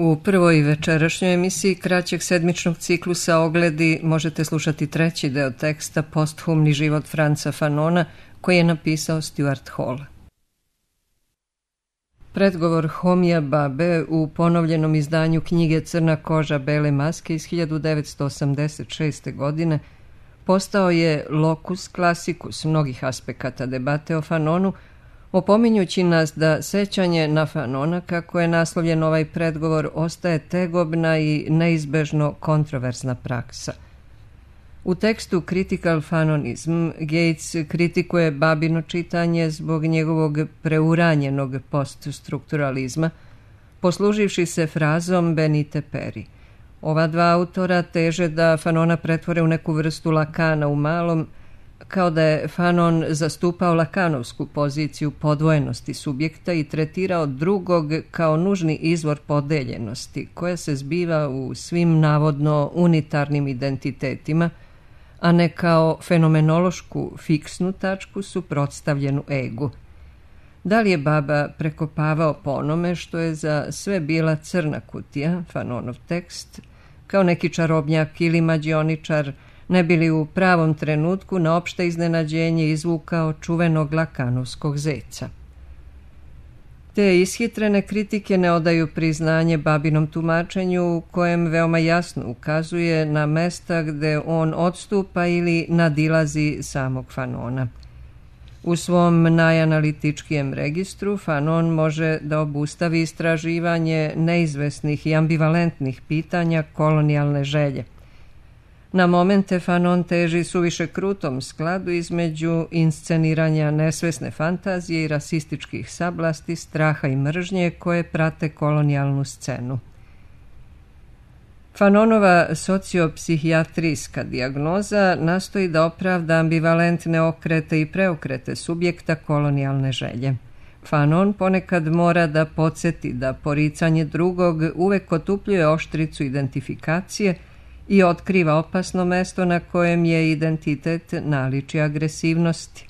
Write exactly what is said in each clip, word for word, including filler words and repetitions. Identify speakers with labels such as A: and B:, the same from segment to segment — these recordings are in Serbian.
A: U prvoj večerašnjoj emisiji kraćeg sedmičnog ciklusa Ogledi možete slušati treći deo teksta Posthumni život Franca Fanona koji je napisao Stuart Hall. Predgovor Homija Babe u ponovljenom izdanju knjige Crna koža, bele maske iz hiljadu devetsto osamdeset šeste. godine postao je locus classicus mnogih aspekata debate o Fanonu, opominjući nas da sećanje na Fanona, kako je naslovljen ovaj predgovor, ostaje tegobna i neizbežno kontroverzna praksa. U tekstu Critical Fanonism Gates kritikuje babino čitanje zbog njegovog preuranjenog poststrukturalizma, posluživši se frazom Benite Peri. Ova dva autora teže da Fanona pretvore u neku vrstu Lakana u malom, kao da je Fanon zastupao lakanovsku poziciju podvojenosti subjekta i tretirao drugog kao nužni izvor podeljenosti, koja se zbiva u svim navodno unitarnim identitetima, a ne kao fenomenološku fiksnu tačku suprotstavljenu egu. Da li je Baba prekopavao po onome što je za sve bila crna kutija, Fanonov tekst, kao neki čarobnjak ili mađioničar, ne bi li u pravom trenutku na opšte iznenađenje izvukao čuvenog lakanovskog zeca? Te ishitrene kritike ne odaju priznanje Babinom tumačenju, u kojem veoma jasno ukazuje na mesta gde on odstupa ili nadilazi samog Fanona. U svom najanalitičkijem registru Fanon može da obustavi istraživanje neizvesnih i ambivalentnih pitanja kolonijalne želje. Na momente Fanon teži suviše krutom skladu između insceniranja nesvesne fantazije i rasističkih sablasti, straha i mržnje koje prate kolonijalnu scenu. Fanonova sociopsihijatrijska dijagnoza nastoji da opravda ambivalentne okrete i preokrete subjekta kolonijalne želje. Fanon ponekad mora da podsjeti da poricanje drugog uvek otupljuje oštricu identifikacije i otkriva opasno mesto na kojem je identitet naliči agresivnosti.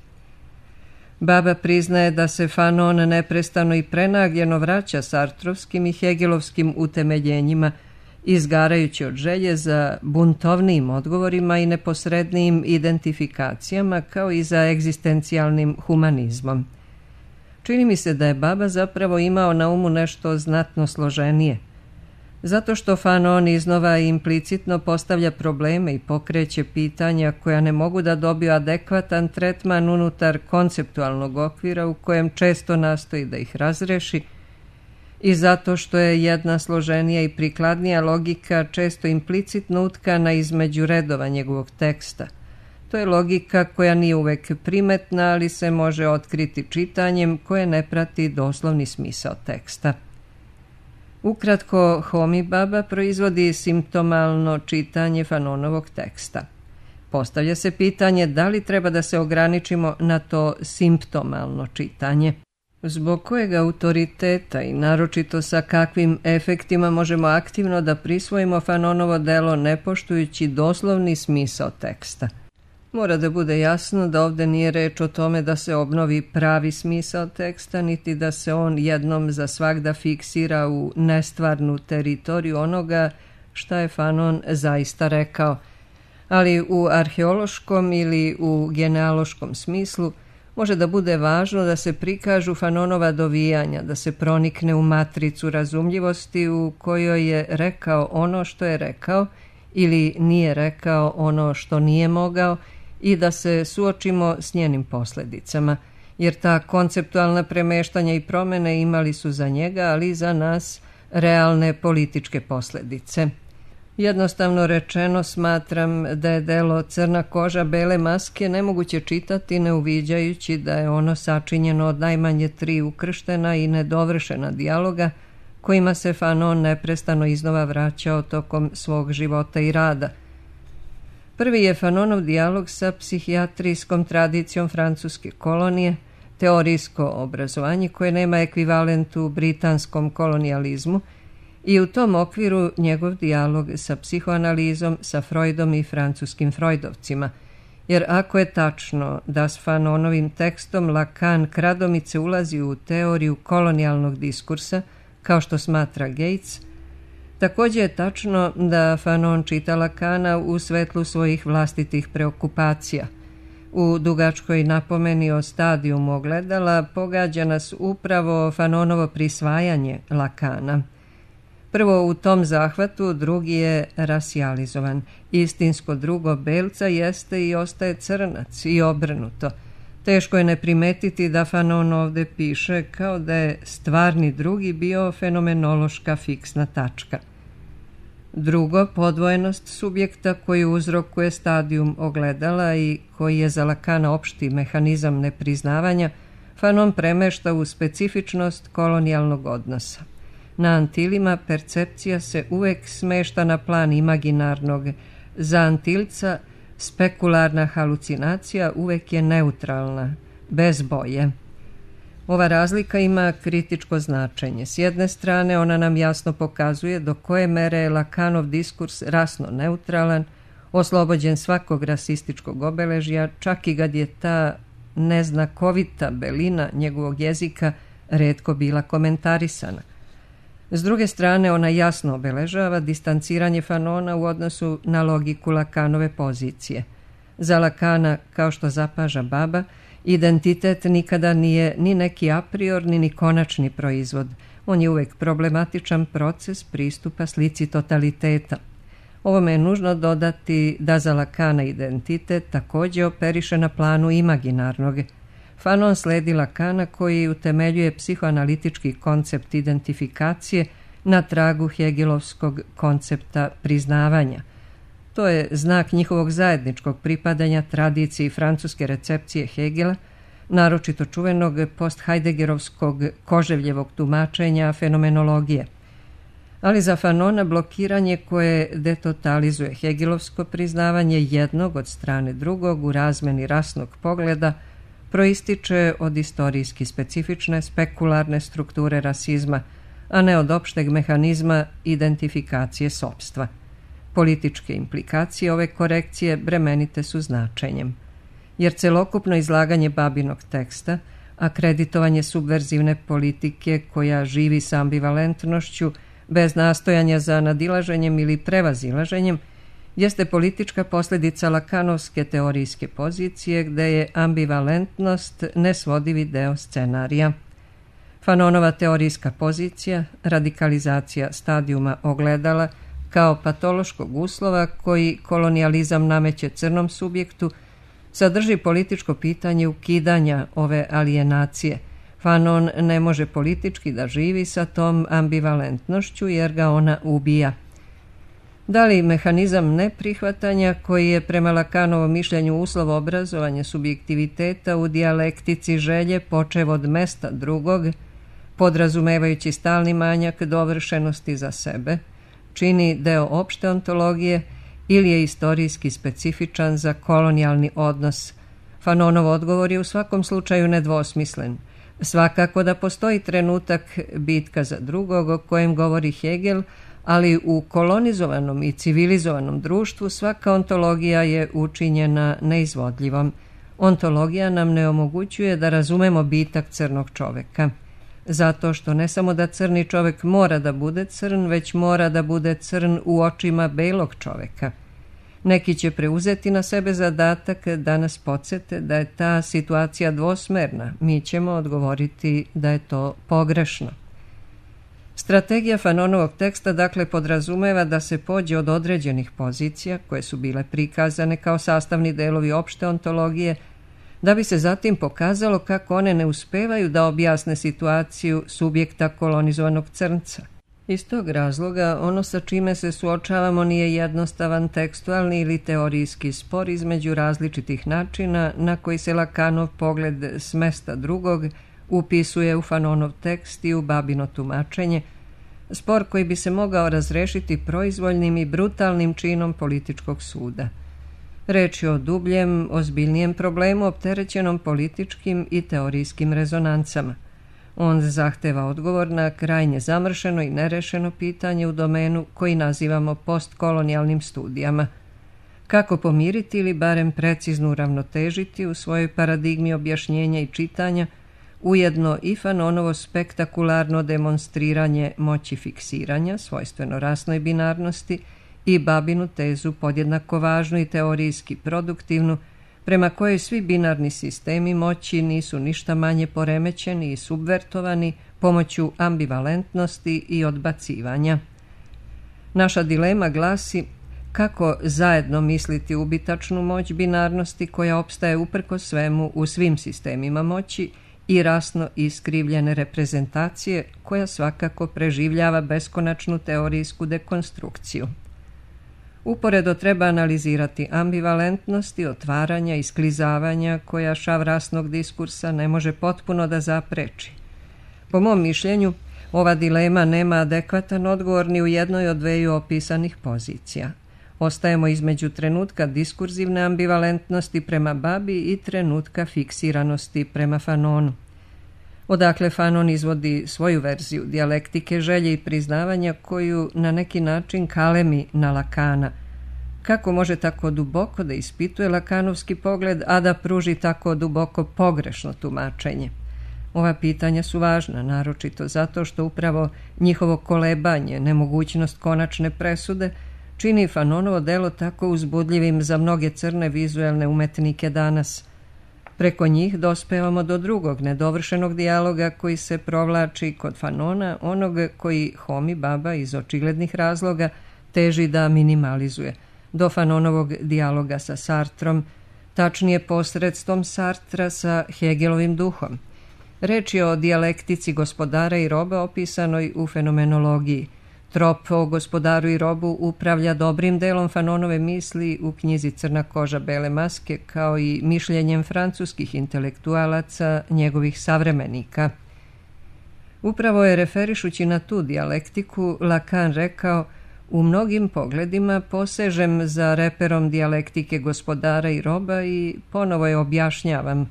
A: Baba priznaje da se Fanon neprestano i prenagljeno vraća sartrovskim i hegelovskim utemeljenjima, izgarajući od želje za buntovnijim odgovorima i neposrednijim identifikacijama, kao i za egzistencijalnim humanizmom. Čini mi se da je Baba zapravo imao na umu nešto znatno složenije. Zato što Fanon iznova implicitno postavlja probleme i pokreće pitanja koja ne mogu da dobiju adekvatan tretman unutar konceptualnog okvira u kojem često nastoji da ih razreši, i zato što je jedna složenija i prikladnija logika često implicitno utkana između redova njegovog teksta. To je logika koja nije uvek primetna, ali se može otkriti čitanjem koje ne prati doslovni smisao teksta. Ukratko, Homi Baba proizvodi simptomalno čitanje Fanonovog teksta. Postavlja se pitanje da li treba da se ograničimo na to simptomalno čitanje. Zbog kojeg autoriteta i naročito sa kakvim efektima možemo aktivno da prisvojimo Fanonovo delo ne poštujući doslovni smisao teksta. Mora da bude jasno da ovde nije reč o tome da se obnovi pravi smisao teksta, niti da se on jednom za svagda fiksira u nestvarnu teritoriju onoga šta je Fanon zaista rekao, ali u arheološkom ili u genealoškom smislu može da bude važno da se prikažu Fanonova dovijanja, da se pronikne u matricu razumljivosti u kojoj je rekao ono što je rekao ili nije rekao ono što nije mogao, i da se suočimo s njenim posledicama, jer ta konceptualna premeštanja i promene imali su za njega, ali i za nas, realne političke posledice. Jednostavno rečeno, smatram da je delo Crna koža, bele maske nemoguće čitati ne uviđajući da je ono sačinjeno od najmanje tri ukrštena i nedovršena dijaloga kojima se Fanon neprestano iznova vraćao tokom svog života i rada. Prvi je Fanonov dijalog sa psihijatrijskom tradicijom francuske kolonije, teorijsko obrazovanje koje nema ekvivalent u britanskom kolonijalizmu, i u tom okviru njegov dijalog sa psihoanalizom, sa Freudom i francuskim Freudovcima, jer ako je tačno da s Fanonovim tekstom Lacan kradomice ulazi u teoriju kolonijalnog diskursa, kao što smatra Gates, Također je tačno da Fanon čita Lacana u svetlu svojih vlastitih preokupacija. U dugačkoj napomeni o stadijumu ogledala pogađa nas upravo Fanonovo prisvajanje Lacana. Prvo u tom zahvatu, drugi je rasijalizovan. Istinsko drugo belca jeste i ostaje crnac i obrnuto. Teško je ne primetiti da Fanon ovde piše kao da je stvarni drugi bio fenomenološka fiksna tačka. Drugo, podvojenost subjekta koji uzrokuje stadijum ogledala i koji je za Lacana opšti mehanizam nepriznavanja, Fanon premešta u specifičnost kolonijalnog odnosa. Na Antilima percepcija se uvek smešta na plan imaginarnog. Za Antilca spekularna halucinacija uvek je neutralna, bez boje. Ova razlika ima kritičko značenje. S jedne strane, ona nam jasno pokazuje do koje mere je Lacanov diskurs rasno neutralan, oslobođen svakog rasističkog obeležja, čak i kad je ta neznakovita belina njegovog jezika retko bila komentarisana. S druge strane, ona jasno obeležava distanciranje Fanona u odnosu na logiku Lacanove pozicije. Za Lacana, kao što zapaža Baba, identitet nikada nije ni neki apriorni ni konačni proizvod. On je uvek problematičan proces pristupa slici totaliteta. Ovome je nužno dodati da za Lacana identitet također operiše na planu imaginarnog. Fanon sledi Lacana koji utemeljuje psihoanalitički koncept identifikacije na tragu hegelovskog koncepta priznavanja. To je znak njihovog zajedničkog pripadanja tradiciji francuske recepcije Hegela, naročito čuvenog post-Heideggerovskog Koževljevog tumačenja fenomenologije. Ali za Fanona blokiranje koje detotalizuje hegelovsko priznavanje jednog od strane drugog u razmeni rasnog pogleda proističe od istorijski specifične spekularne strukture rasizma, a ne od opšteg mehanizma identifikacije sopstva. Političke implikacije ove korekcije bremenite su značenjem, jer celokupno izlaganje Babinog teksta, akreditovanje subverzivne politike koja živi sa ambivalentnošću, bez nastojanja za nadilaženjem ili prevazilaženjem, jeste politička posljedica Lacanovske teorijske pozicije gde je ambivalentnost nesvodivi deo scenarija. Fanonova teorijska pozicija, radikalizacija stadijuma ogledala kao patološkog uslova koji kolonijalizam nameće crnom subjektu, sadrži političko pitanje ukidanja ove alijenacije. Fanon ne može politički da živi sa tom ambivalentnošću jer ga ona ubija. Da li mehanizam neprihvatanja koji je prema Lacanovom mišljenju uslov obrazovanja subjektiviteta u dijalektici želje počev od mesta drugog, podrazumevajući stalni manjak dovršenosti za sebe, čini deo opšte ontologije ili je istorijski specifičan za kolonijalni odnos? Fanonov odgovor je u svakom slučaju nedvosmislen. Svakako da postoji trenutak bitka za drugog o kojem govori Hegel, ali u kolonizovanom i civilizovanom društvu svaka ontologija je učinjena neizvodljivom. Ontologija nam ne omogućuje da razumemo bitak crnog čoveka. Zato što ne samo da crni čovek mora da bude crn, već mora da bude crn u očima belog čoveka. Neki će preuzeti na sebe zadatak da nas podsete da je ta situacija dvosmerna. Mi ćemo odgovoriti da je to pogrešno. Strategija Fanonovog teksta dakle podrazumeva da se pođe od određenih pozicija koje su bile prikazane kao sastavni delovi opšte ontologije, da bi se zatim pokazalo kako one ne uspevaju da objasne situaciju subjekta kolonizovanog crnca. Iz tog razloga ono sa čime se suočavamo nije jednostavan tekstualni ili teorijski spor između različitih načina na koji se Lacanov pogled s mesta drugog upisuje u Fanonov tekst i u Babino tumačenje, spor koji bi se mogao razrešiti proizvoljnim i brutalnim činom političkog suda. Reč je o dubljem, ozbiljnijem problemu opterećenom političkim i teorijskim rezonancama. On zahteva odgovor na krajnje zamršeno i nerešeno pitanje u domenu koji nazivamo postkolonijalnim studijama. Kako pomiriti ili barem precizno uravnotežiti u svojoj paradigmi objašnjenja i čitanja ujedno i Fanonovo spektakularno demonstriranje moći fiksiranja, svojstveno rasnoj binarnosti, i babinu tezu podjednako važnu i teorijski produktivnu, prema kojoj svi binarni sistemi moći nisu ništa manje poremećeni i subvertovani pomoću ambivalentnosti i odbacivanja. Naša dilema glasi kako zajedno misliti ubitačnu moć binarnosti koja opstaje uprkos svemu u svim sistemima moći i rasno iskrivljene reprezentacije koja svakako preživljava beskonačnu teorijsku dekonstrukciju. Uporedo treba analizirati ambivalentnosti, otvaranja i sklizavanja koja šav rasnog diskursa ne može potpuno da zapreči. Po mom mišljenju, ova dilema nema adekvatan odgovor ni u jednoj od dveju opisanih pozicija. Ostajemo između trenutka diskurzivne ambivalentnosti prema babi i trenutka fiksiranosti prema Fanonu. Odakle Fanon izvodi svoju verziju dijalektike želje i priznavanja koju na neki način kalemi na Lakana. Kako može tako duboko da ispituje lakanovski pogled, a da pruži tako duboko pogrešno tumačenje? Ova pitanja su važna, naročito zato što upravo njihovo kolebanje, nemogućnost konačne presude, čini Fanonovo delo tako uzbudljivim za mnoge crne vizuelne umetnike danas. Preko njih dospevamo do drugog, nedovršenog dijaloga koji se provlači kod Fanona, onog koji Homi Baba iz očiglednih razloga teži da minimalizuje, do Fanonovog dijaloga sa Sartrom, tačnije posredstvom Sartra sa Hegelovim duhom. Reč je o dijalektici gospodara i roba opisanoj u fenomenologiji. Trop o gospodaru i robu upravlja dobrim delom Fanonove misli u knjizi Crna koža bele maske, kao i mišljenjem francuskih intelektualaca, njegovih savremenika. Upravo je, referišući na tu dijalektiku, Lacan rekao: u mnogim pogledima posežem za reperom dijalektike gospodara i roba i ponovo je objašnjavam.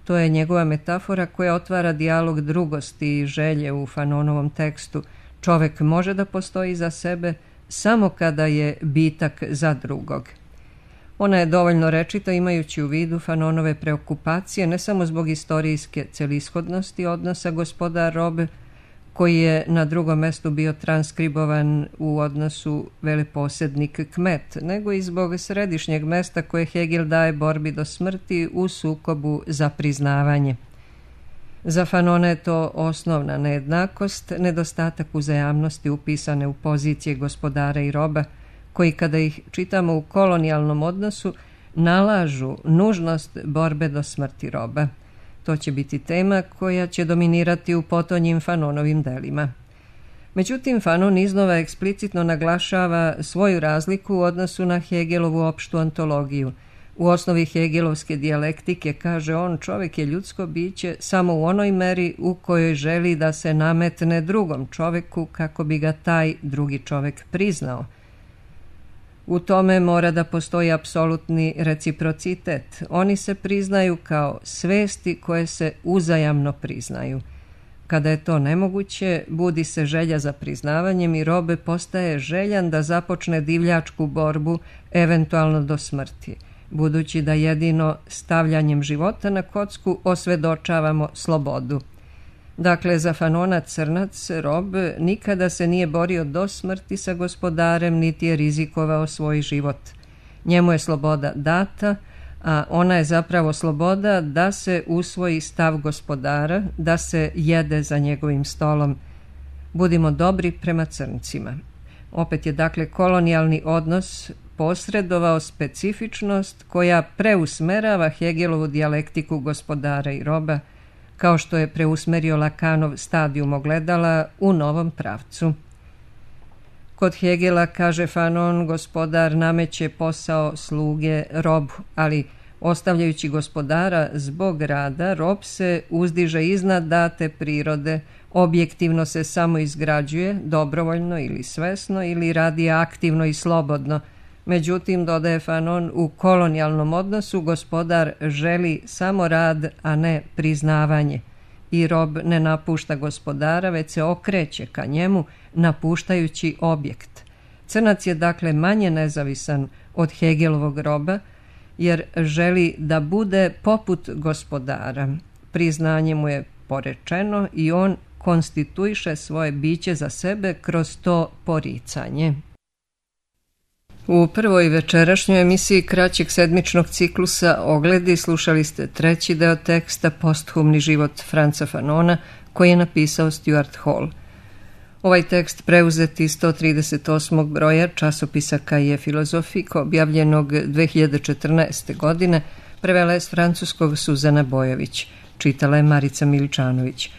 A: To je njegova metafora koja otvara dijalog drugosti i želje u Fanonovom tekstu. Čovek može da postoji za sebe samo kada je bitak za drugog. Ona je dovoljno rečita imajući u vidu Fanonove preokupacije ne samo zbog istorijske celishodnosti odnosa gospodar-rob, koji je na drugom mestu bio transkribovan u odnosu veleposednik-kmet, nego i zbog središnjeg mesta koje Hegel daje borbi do smrti u sukobu za priznavanje. Za Fanona je to osnovna nejednakost, nedostatak uzajamnosti upisane u pozicije gospodara i roba, koji kada ih čitamo u kolonijalnom odnosu nalažu nužnost borbe do smrti roba. To će biti tema koja će dominirati u potonjim Fanonovim delima. Međutim, Fanon iznova eksplicitno naglašava svoju razliku u odnosu na Hegelovu opštu ontologiju. U osnovi hegelovske dijalektike, kaže on, čovjek je ljudsko biće samo u onoj meri u kojoj želi da se nametne drugom čovjeku kako bi ga taj drugi čovjek priznao. U tome mora da postoji apsolutni reciprocitet. Oni se priznaju kao svesti koje se uzajamno priznaju. Kada je to nemoguće, budi se želja za priznavanjem i robe postaje željan da započne divljačku borbu, eventualno do smrti, budući da jedino stavljanjem života na kocku osvedočavamo slobodu. Dakle, za Fanona crnac, rob, nikada se nije borio do smrti sa gospodarem, niti je rizikovao svoj život. Njemu je sloboda data, a ona je zapravo sloboda da se usvoji stav gospodara, da se jede za njegovim stolom. Budimo dobri prema crncima. Opet je dakle kolonijalni odnos posredovao specifičnost koja preusmerava Hegelovu dijalektiku gospodara i roba, kao što je preusmerio Lacanov stadijum ogledala u novom pravcu. Kod Hegela, kaže Fanon, gospodar nameće posao sluge robu, ali ostavljajući gospodara zbog rada, rob se uzdiže iznad date prirode, objektivno se samo izgrađuje, dobrovoljno ili svesno, ili radi aktivno i slobodno. Međutim, dodaje Fanon, u kolonijalnom odnosu gospodar želi samo rad, a ne priznavanje. I rob ne napušta gospodara, već se okreće ka njemu, napuštajući objekt. Crnac je dakle manje nezavisan od Hegelovog roba, jer želi da bude poput gospodara. Priznanje mu je porečeno i on konstituiše svoje biće za sebe kroz to poricanje. U prvoj večerašnjoj emisiji kraćeg sedmičnog ciklusa Ogledi slušali ste treći deo teksta Posthumni život Franca Fanona koji je napisao Stuart Hall. Ovaj tekst preuzet iz sto trideset osmog broja časopisa Cahiers Philosophiques objavljenog dve hiljade četrnaeste. godine prevela je s francuskog Suzana Bojović. Čitala je Marica Miličanović.